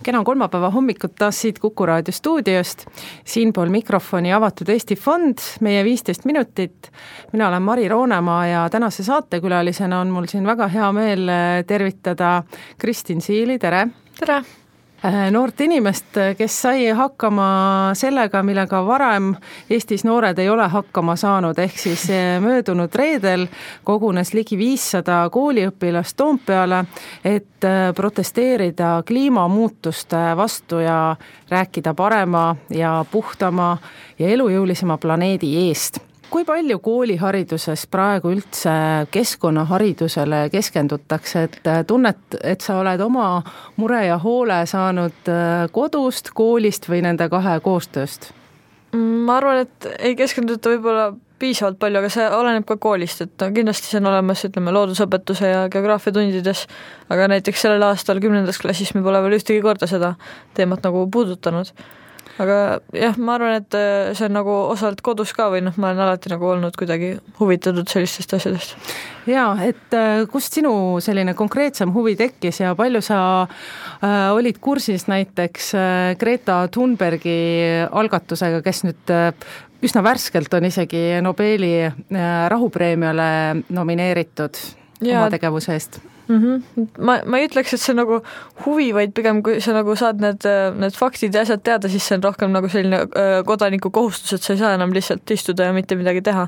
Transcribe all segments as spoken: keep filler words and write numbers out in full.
kena kolmapäeva hommikut taas siit Kuku raadio stuudiost. Siinpool mikrofoni Avatud Eesti Fond, meie viisteist minutit. Mina olen Mari Roonemaa ja tänase saatekülalisena on mul siin väga hea meel tervitada Kristin Siili, tere! Tere! Noort inimest, kes sai hakkama sellega, millega varem Eestis noored ei ole hakkama saanud, ehk siis möödunud reedel kogunes ligi viissada kooliõpilast Toompeale, et protesteerida kliimamuutuste vastu ja rääkida parema ja puhtama ja elujõulisema planeedi eest. Kui palju koolihariduses praegu üldse keskkonnaharidusele keskendutakse, et tunnet, et sa oled oma mure ja hoole saanud kodust, koolist või nende kahe koostööst? Ma arvan, et ei keskenduta võib-olla piisavalt palju, aga see oleneb ka koolist, et kindlasti see on olemas, ütleme, loodusõpetuse ja geograafia tundides, aga näiteks sellel aastal kümnendas klassis me pole veel ühtegi korda seda teemat nagu puudutanud. Aga jah, ma arvan, et see on nagu osalt kodus ka või noh, ma olen alati nagu olnud kuidagi huvitatud sellistest asjadest. Jaa, et kust sinu selline konkreetsem huvi tekkis ja palju sa äh, olid kursis näiteks Greta Thunbergi algatusega, kes nüüd üsna värskelt on isegi Nobeli rahupreemiale nomineeritud ja oma tegevuse eest? Mm-hmm. Ma, ma ei ütleks, et see on nagu huvi, vaid pigem kui sa nagu saad need, need faktid ja asjad teada, siis see on rohkem nagu selline kodaniku kohustus, et sa ei saa enam lihtsalt istuda ja mitte midagi teha.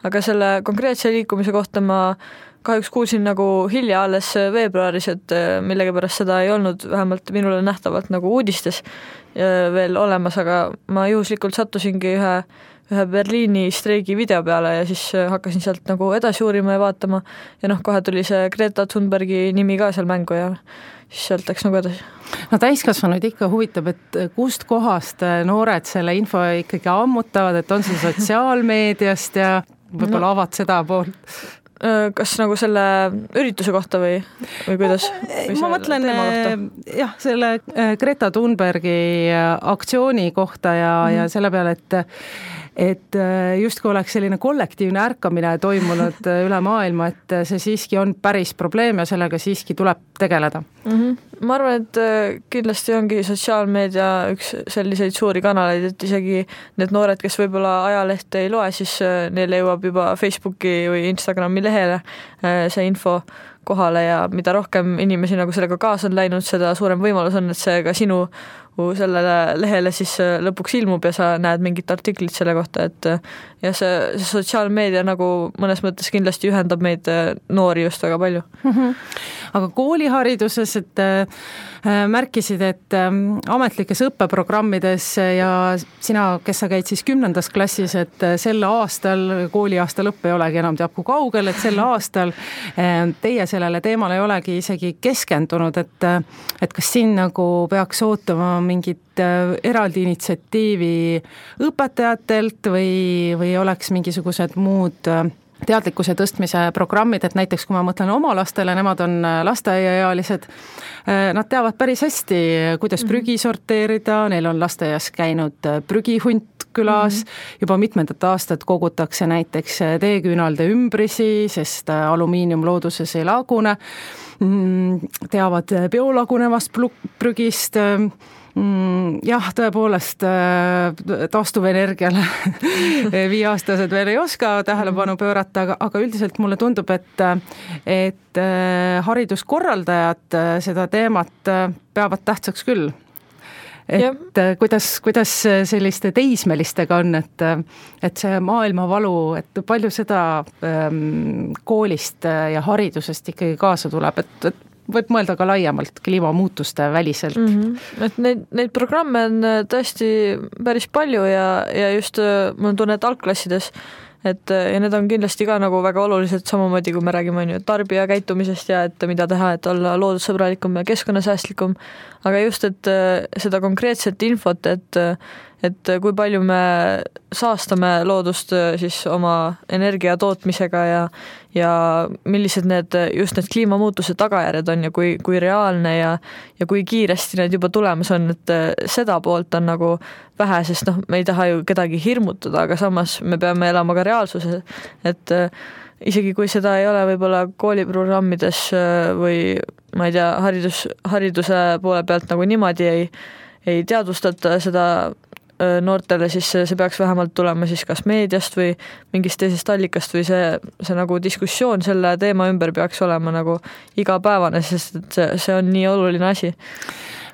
Aga selle konkreetse liikumise kohta ma kahjuks kuulsin nagu hilja alles veebruaris, et millegi pärast seda ei olnud vähemalt minule nähtavalt nagu uudistes veel olemas, aga ma juhuslikult sattusingi ühe ühe Berliini streigi video peale ja siis hakkasin sealt nagu edasi uurima ja vaatama ja noh, kohe tuli see Greta Thunbergi nimi ka seal mängu ja siis sealt läks nagu edasi. No täiskasvanuid ikka huvitab, et kust kohast noored selle info ikkagi ammutavad, et on see sotsiaalmeediast ja võib-olla no. avad seda poolt? Kas nagu selle ürituse kohta või, või kuidas? Või ma mõtlen jah, selle Greta Thunbergi aktsiooni kohta ja, mm. ja selle peale, et et justkui oleks selline kollektiivne ärkamine toimunud üle maailma, et see siiski on päris probleem ja sellega siiski tuleb tegeleda. Mm-hmm. Ma arvan, et kindlasti ongi sotsiaalmeedia üks selliseid suuri kanaleid, et isegi need noored, kes võib-olla ajalehte ei loe, siis neile jõuab juba Facebooki või Instagrami lehele see info kohale ja mida rohkem inimesi nagu sellega kaasa on läinud, seda suurem võimalus on, et see ka sinu sellele lehele siis lõpuks ilmub ja sa näed mingit artiklit selle kohta, et ja see, see sotsiaalmeedia nagu mõnes mõttes kindlasti ühendab meid noori just väga palju. Mm-hmm. Aga koolihariduses, et äh, märkisid, et äh, ametlikes õppeprogrammides ja sina, kes sa käid siis kümnendas klassis, et äh, sel aastal, kooliaasta lõpp ei olegi enam teab kui kaugel, et sel aastal äh, teie sellele teemale ei olegi isegi keskendunud, et, et kas siin nagu peaks ootama mingit eraldi initsiatiivi õpetajatelt või, või oleks mingisugused muud teadlikkuse tõstmise programmid, et näiteks kui ma mõtlen oma lastele, nemad on lasteaiaealised, nad teavad päris hästi, kuidas prügi sorteerida, neil on lasteaias käinud prügihunt külas, mm-hmm. juba mitmendat aastat kogutakse näiteks teeküünalde ümbrisi, sest alumiinium looduses ei lagune, teavad biolagunevast prügist, jah, tõepoolest taastuvenergiale viieaastased veel ei oska tähelepanu pöörata, aga, aga üldiselt mulle tundub, et, et hariduskorraldajad seda teemat peavad tähtsaks küll. Et ja. kuidas, kuidas selliste teismelistega on, et, et see maailmavalu, et palju seda ähm, koolist ja haridusest ikkagi kaasa tuleb, et, et võib mõelda ka laiemalt kliimamuutuste väliselt. Mm-hmm. Et neid, neid programme on tõesti päris palju ja, ja just ma tunnen, et algklassides, et ja need on kindlasti ka nagu väga olulised samamoodi, kui me räägime on ju, tarbija käitumisest ja et mida teha, et olla loodussõbralikum ja keskkonnasäästlikum, aga just, et seda konkreetset infot, et, et kui palju me saastame loodust siis oma energia tootmisega ja, ja millised need, just need kliimamuutuse tagajärjed on ja kui, kui reaalne ja, ja kui kiiresti need juba tulemas on, et seda poolt on nagu vähe, sest noh, me ei taha ju kedagi hirmutada, aga samas me peame elama ka reaalsuse, et isegi kui seda ei ole võib-olla kooliprogrammides või ma ei tea, haridus, hariduse poole pealt nagu niimoodi ei, ei teadvustata seda noortele, siis see peaks vähemalt tulema siis kas meediast või mingist teisest allikast või see, see nagu diskussioon selle teema ümber peaks olema nagu igapäevane, sest et see, see on nii oluline asi.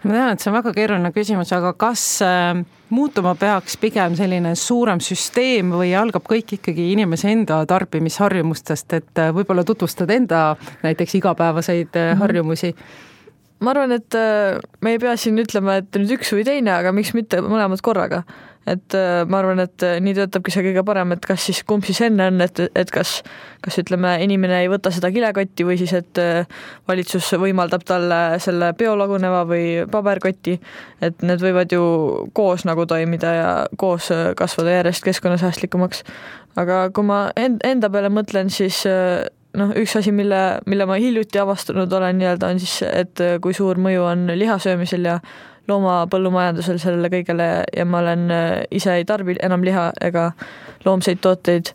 Ma tean, et see on väga keeruline küsimus, aga kas muutuma peaks pigem selline suurem süsteem või algab kõik ikkagi inimese enda tarbimisharjumustest, et võib-olla tutvustad enda näiteks igapäevaseid harjumusi? Ma arvan, et me ei pea siin ütlema, et nüüd üks või teine, aga miks mitte mõlemad korraga. Et ma arvan, et nii töötabki see kõige parem, et kas siis kumb siis enne on, et, et kas, kas ütleme, inimene ei võta seda kilekotti või siis, et valitsus võimaldab talle selle biolaguneva või paberkotti, et need võivad ju koos nagu toimida ja koos kasvada järjest keskkonnasäästlikumaks. Aga kui ma enda peale mõtlen, siis noh, üks asi, mille, mille ma hiljuti avastanud olen nii-öelda on siis, et kui suur mõju on lihasöömisel ja loomapõllumajandusel sellele kõigele ja ma olen ise ei tarbi enam liha ega loomseid tooteid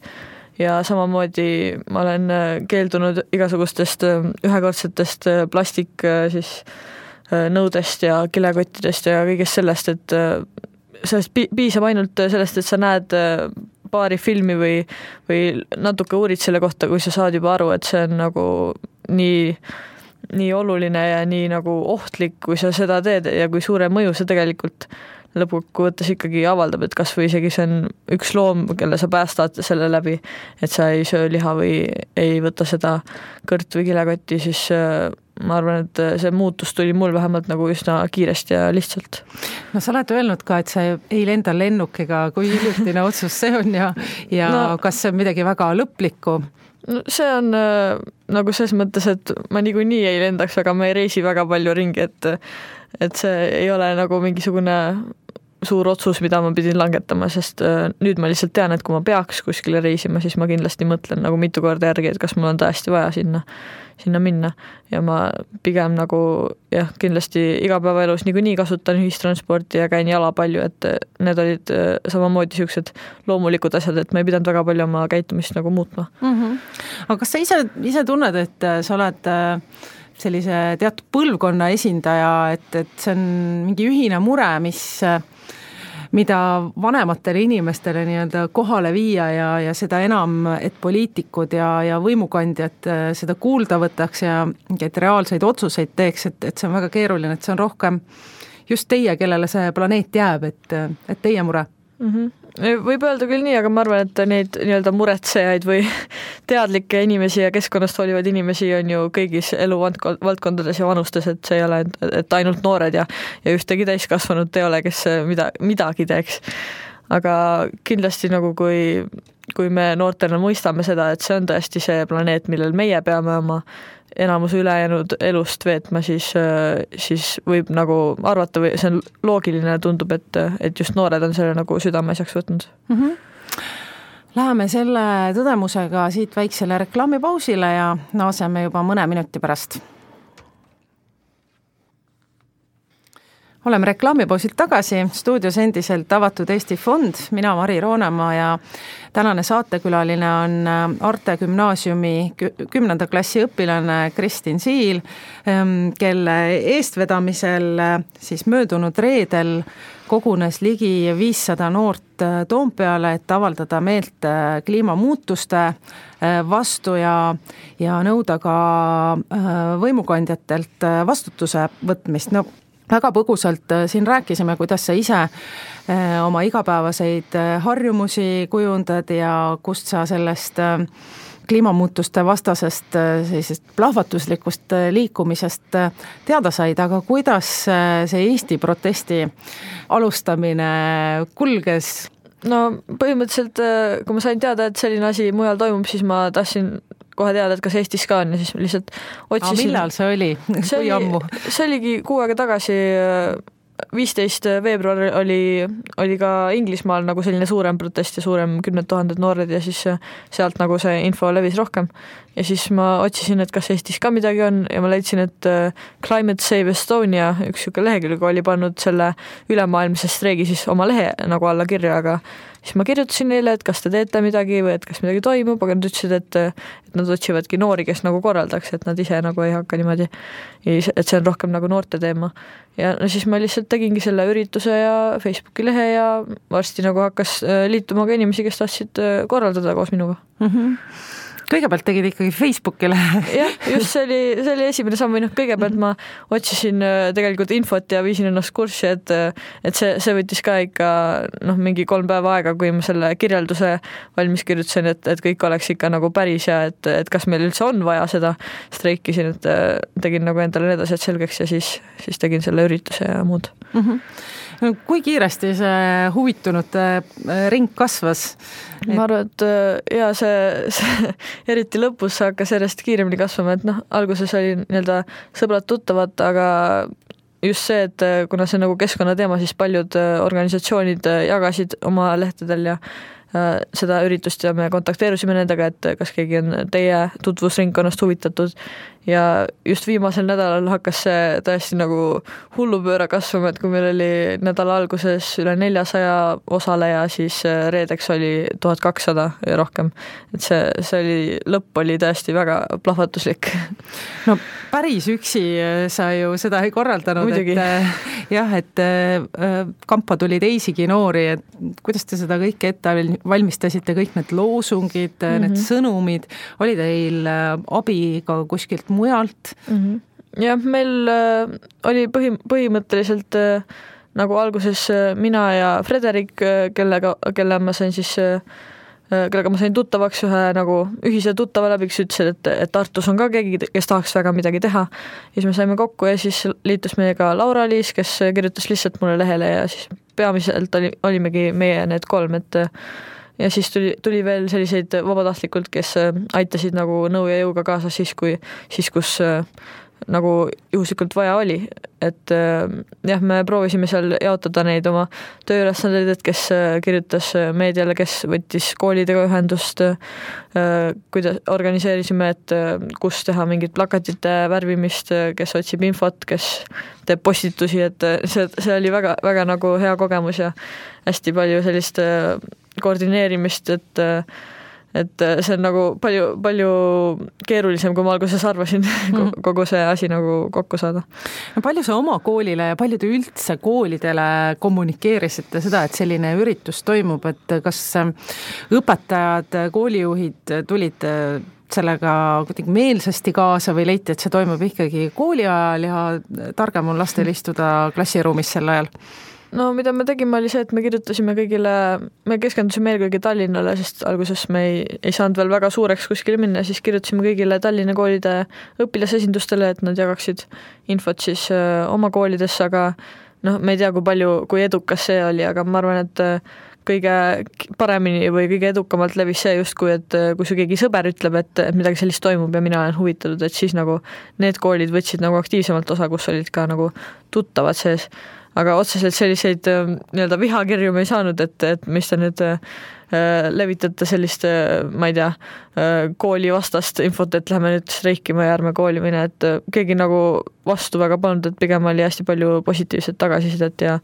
ja samamoodi ma olen keeldunud igasugustest ühekordsetest plastik siis nõudest ja kilekottidest ja kõigest sellest, et sellest piisab ainult sellest, et sa näed paari filmi või, või natuke uurid selle kohta, kui sa saad juba aru, et see on nagu nii, nii oluline ja nii nagu ohtlik, kui sa seda teed ja kui suure mõju see tegelikult lõpukokkuvõttes ikkagi avaldab, et kas või isegi see on üks loom, kelle sa päästad selle läbi, et sa ei söö liha või ei võta seda kõrt või kilekotti, siis ma arvan, et see muutus tuli mul vähemalt nagu üsna kiiresti ja lihtsalt. No sa oled öelnud ka, et sa ei lenda lennukiga, kui hiljutine otsus see on ja, ja no, kas see on midagi väga lõplikku? No, see on äh, nagu selles mõttes, et ma niikuinii ei lendaks, aga ma ei reisi väga palju ringi, et, et see ei ole nagu mingisugune suur otsus, mida ma pidin langetama, sest äh, nüüd ma lihtsalt tean, et kui ma peaks kuskile reisima, siis ma kindlasti mõtlen nagu mitu korda järgi, et kas mul on tõesti vaja sinna, sinna minna ja ma pigem nagu jah, kindlasti igapäevaelus niikuinii kasutan ühistransporti ja käin jala palju, et need olid äh, samamoodi siuksed loomulikud asjad, et ma ei pidanud väga palju oma käitumist nagu muutma. Mm-hmm. Aga kas sa ise, ise tunned, et sa oled äh, sellise teatud põlvkonna esindaja, et, et see on mingi ühine mure, mis äh, mida vanematele inimestele nii-öelda kohale viia ja, ja seda enam, et poliitikud ja, ja võimukandjad seda kuulda võtaks ja et reaalseid otsuseid teeks, et, et see on väga keeruline, et see on rohkem just teie, kellele see planeet jääb, et, et teie mure. Mm-hmm. Võib öelda küll nii, aga ma arvan, et neid nii-öelda muretsejaid või teadlikke inimesi ja keskkonnast hoolivaid inimesi on ju kõigis eluvaldkondades ja vanustes, et see ei ole, et ainult noored ja, ja ühtegi täiskasvanud ei ole, kes mida, midagi teeks. Aga kindlasti nagu kui, kui me noortena mõistame seda, et see on tõesti see planeet, millel meie peame oma enamus ülejäänud elust veetma, siis, siis võib nagu arvata või see on loogiline, tundub, et, et just noored on selle nagu südameasjaks võtnud. Mm-hmm. Läheme selle tõdemusega siit väiksele reklaamipausile ja naaseme juba mõne minuti pärast. Oleme reklaamipausilt tagasi, stuudios endiselt avatud Eesti Fond, mina Mari Roonemaa ja tänane saatekülaline on Arte Gümnaasiumi kümnenda klassi õpilane Kristin Siil, kelle eestvedamisel siis möödunud reedel kogunes ligi viissada noort Toompeale, et avaldada meelt kliimamuutuste vastu ja, ja nõuda ka võimukandjatelt vastutuse võtmist. No väga põgusalt siin rääkisime, kuidas sa ise oma igapäevaseid harjumusi kujundad ja kust sa sellest kliimamuutuste vastasest sellisest plahvatuslikust liikumisest teada said, aga kuidas see Eesti protesti alustamine kulges? No põhimõtteliselt, kui ma sain teada, et selline asi mujal toimub, siis ma tahtsin kohe teada, et kas Eestis ka on ja siis lihtsalt otsisin. Aga millal see oli? See, Kui oli, ammu? see oligi kuu aega tagasi viisteist veebruar oli, oli ka Inglismaal nagu selline suurem protest ja suurem kümned tuhanded noored ja siis sealt nagu see info levis rohkem. Ja siis ma otsisin, et kas Eestis ka midagi on ja ma leidsin, et Climate Save Estonia, üks siuke lehekülg oli pannud selle ülemaailmse streigi siis oma lehe nagu alla kirja, aga siis ma kirjutasin neile, et kas te teete midagi või et kas midagi toimub, aga nad ütlesid, et, et nad otsivadki noori, kes nagu korraldaks, et nad ise nagu ei hakka niimoodi, et see on rohkem nagu noorte teema. Ja no siis ma lihtsalt tegingi selle ürituse ja Facebooki lehe ja varsti nagu hakkas liituma ka inimesi, kes tahtsid korraldada koos minuga. Mm-hmm. Kõigepealt tegid ikkagi Facebookile. Jah, just see oli, see oli esimene samm, või noh, kõigepealt ma otsisin tegelikult infot ja viisin ennast kurssi, et, et see, see võttis ka ikka noh, mingi kolm päeva aega, kui ma selle kirjelduse valmis kirjutasin, et, et kõik oleks ikka nagu päris ja et, et kas meil üldse on vaja seda streikisin, et tegin nagu endale need asjad selgeks ja siis, siis tegin selle ürituse ja muud. Mm-hmm. Kui kiiresti see huvitunute ring kasvas? Ma arvan, et ja see, see eriti lõpus hakkas järjest kiiremini kasvama, et noh, alguses oli nii-öelda sõbrad tuttavad, aga just see, et kuna see nagu keskkonnateema, siis paljud organisatsioonid jagasid oma lehtedel ja seda üritust ja me kontakteerusime nendega, et kas keegi on teie tutvusringkonnast huvitatud ja just viimasel nädalal hakkas see tõesti nagu hullupööra kasvama, et kui meil oli nädala alguses üle neljasaja osaleja, siis reedeks oli tuhat kakssada ja rohkem. Et see, see oli, lõpp oli tõesti väga plahvatuslik. No päris üksi sa ju seda ei korraldanud, Muidugi. et jah, et kampa tuli teisigi noori, et kuidas te seda kõike ette valmistasite, kõik need loosungid, mm-hmm. need sõnumid, oli teil abi ka kuskilt mujalt? Mm-hmm. Jah, meil äh, oli põhi, põhimõtteliselt äh, nagu alguses äh, mina ja Frederik, äh, kellega, kelle ma sain siis äh, kellega ma sain tuttavaks ühe nagu ühise tuttava läbi, kes ütles, et, et Tartus on ka keegi, kes tahaks väga midagi teha. Ja siis me saime kokku ja siis liitus meiega Laura-Liis, kes kirjutas lihtsalt mulle lehele ja siis peamiselt oli, olimegi meie need kolm, et ja siis tuli, tuli veel selliseid vabatahtlikult, kes aitasid nagu nõu ja jõuga kaasa siis, kui, siis kus nagu juhuslikult vaja oli. Et jah, me proovisime seal jaotada neid oma tööülesandeid, et kes kirjutas meediale, kes võttis koolidega ühendust, kuidas organiseerisime, et kus teha mingit plakatite värvimist, kes otsib infot, kes teeb postitusi, et see, see oli väga, väga nagu hea kogemus ja hästi palju sellist koordineerimist, et et see on nagu palju, palju keerulisem, kui ma alguses arvasin mm. kogu see asi nagu kokku saada. No palju sa oma koolile ja palju te üldse koolidele kommunikeerisite seda, et selline üritus toimub, et kas õpetajad, koolijuhid tulid sellega kuidagi meelsasti kaasa või leiti, et see toimub ikkagi kooli ajal ja targem on lastel istuda klassiruumis sel ajal? No mida me tegime oli see, et me kirjutasime kõigile, me keskendusime eelkõige Tallinnale, sest alguses me ei, ei saanud veel väga suureks kuskile minna, siis kirjutasime kõigile Tallinna koolide õpilasesindustele, et nad jagaksid infot siis öö, oma koolides, aga noh, me ei tea, kui palju, kui edukas see oli, aga ma arvan, et kõige paremini või kõige edukamalt levis see justkui, et kui su keegi sõber ütleb, et, et midagi sellist toimub ja mina olen huvitatud, et siis nagu need koolid võtsid nagu aktiivsemalt osa, kus olid ka nagu tuttavad sees. Aga otseselt selliseid nii-öelda vihakirju me ei saanud, et, et mis te nüüd äh, levitate sellist, ma ei tea, äh, kooli vastast infot, et lähme nüüd streikima ja ärme kooli mine, et äh, keegi nagu vastu väga polnud, et pigem oli hästi palju positiivset tagasisidet ja,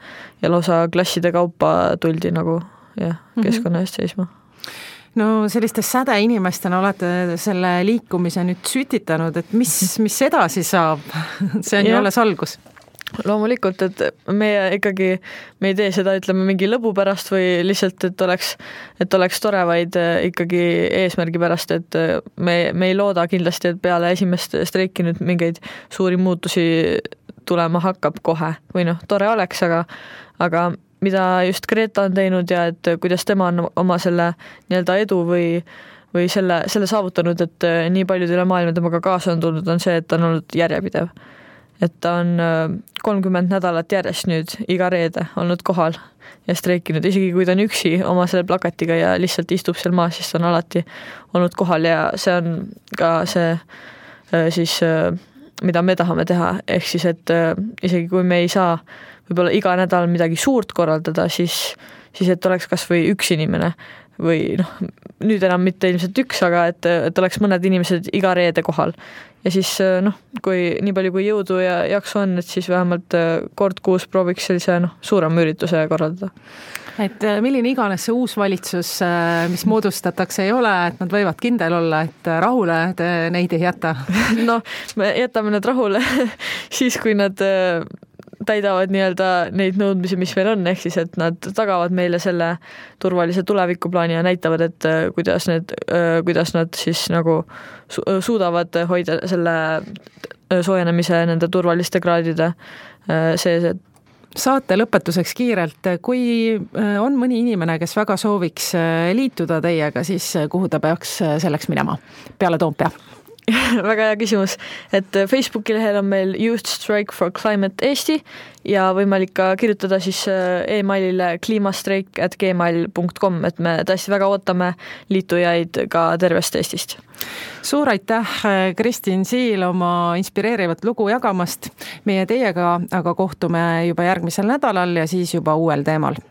ja lausa klasside kaupa tuldi nagu jah, keskkonna eest seisma. No selliste säde inimestena olete selle liikumise nüüd sütitanud, et mis, mis edasi saab? See on ju alles algus. Loomulikult, et meie ikkagi, me ei tee seda, ütleme, mingi lõbu pärast või lihtsalt, et oleks, et oleks tore, vaid ikkagi eesmärgi pärast, et me, me ei looda kindlasti, et peale esimest streiki nüüd mingeid suuri muutusi tulema hakkab kohe või noh, tore oleks, aga, aga mida just Greta on teinud ja et kuidas tema on oma selle nii-öelda edu või või selle, selle saavutanud, et nii paljud üle maailma temaga kaasa on tulnud, on see, et ta on olnud järjepidev. Et ta on kolmkümmend nädalat järjest nüüd iga reede olnud kohal ja streikinud, isegi kui ta on üksi oma selle plakatiga ja lihtsalt istub seal maas, siis ta on alati olnud kohal ja see on ka see siis, mida me tahame teha, ehk siis, et isegi kui me ei saa võib-olla iga nädal midagi suurt korraldada, siis, siis et oleks kas või üks inimene või noh, nüüd enam mitte ilmselt üks, aga et, et oleks mõned inimesed iga reede kohal. Ja siis noh, kui nii palju kui jõudu ja jaksu on, et siis vähemalt kord kuus prooviks sellise noh, suurema ürituse korraldada. Et milline iganes see uus valitsus, mis moodustatakse, ei ole, et nad võivad kindel olla, et rahule te neid ei jäta? No, me jätame need rahule siis, kui nad täidavad nii-öelda neid nõudmisi, mis meil on, ehk siis, et nad tagavad meile selle turvalise tulevikuplaani ja näitavad, et kuidas, need, kuidas nad siis nagu suudavad hoida selle soojenemise nende turvaliste kraadide sees. Saate lõpetuseks kiirelt, kui on mõni inimene, kes väga sooviks liituda teiega, siis kuhu ta peaks selleks minema peale Toompea? Väga hea küsimus, et Facebooki lehel on meil Youth Strike for Climate Eesti ja võimalik ka kirjutada siis e-mailile kliimastreik at gmail punkt com, et me tõesti väga ootame liitujaid ka tervest Eestist. Suur aitäh, Kristin Siil, oma inspireerivat lugu jagamast. Meie teiega aga kohtume juba järgmisel nädalal ja siis juba uuel teemal.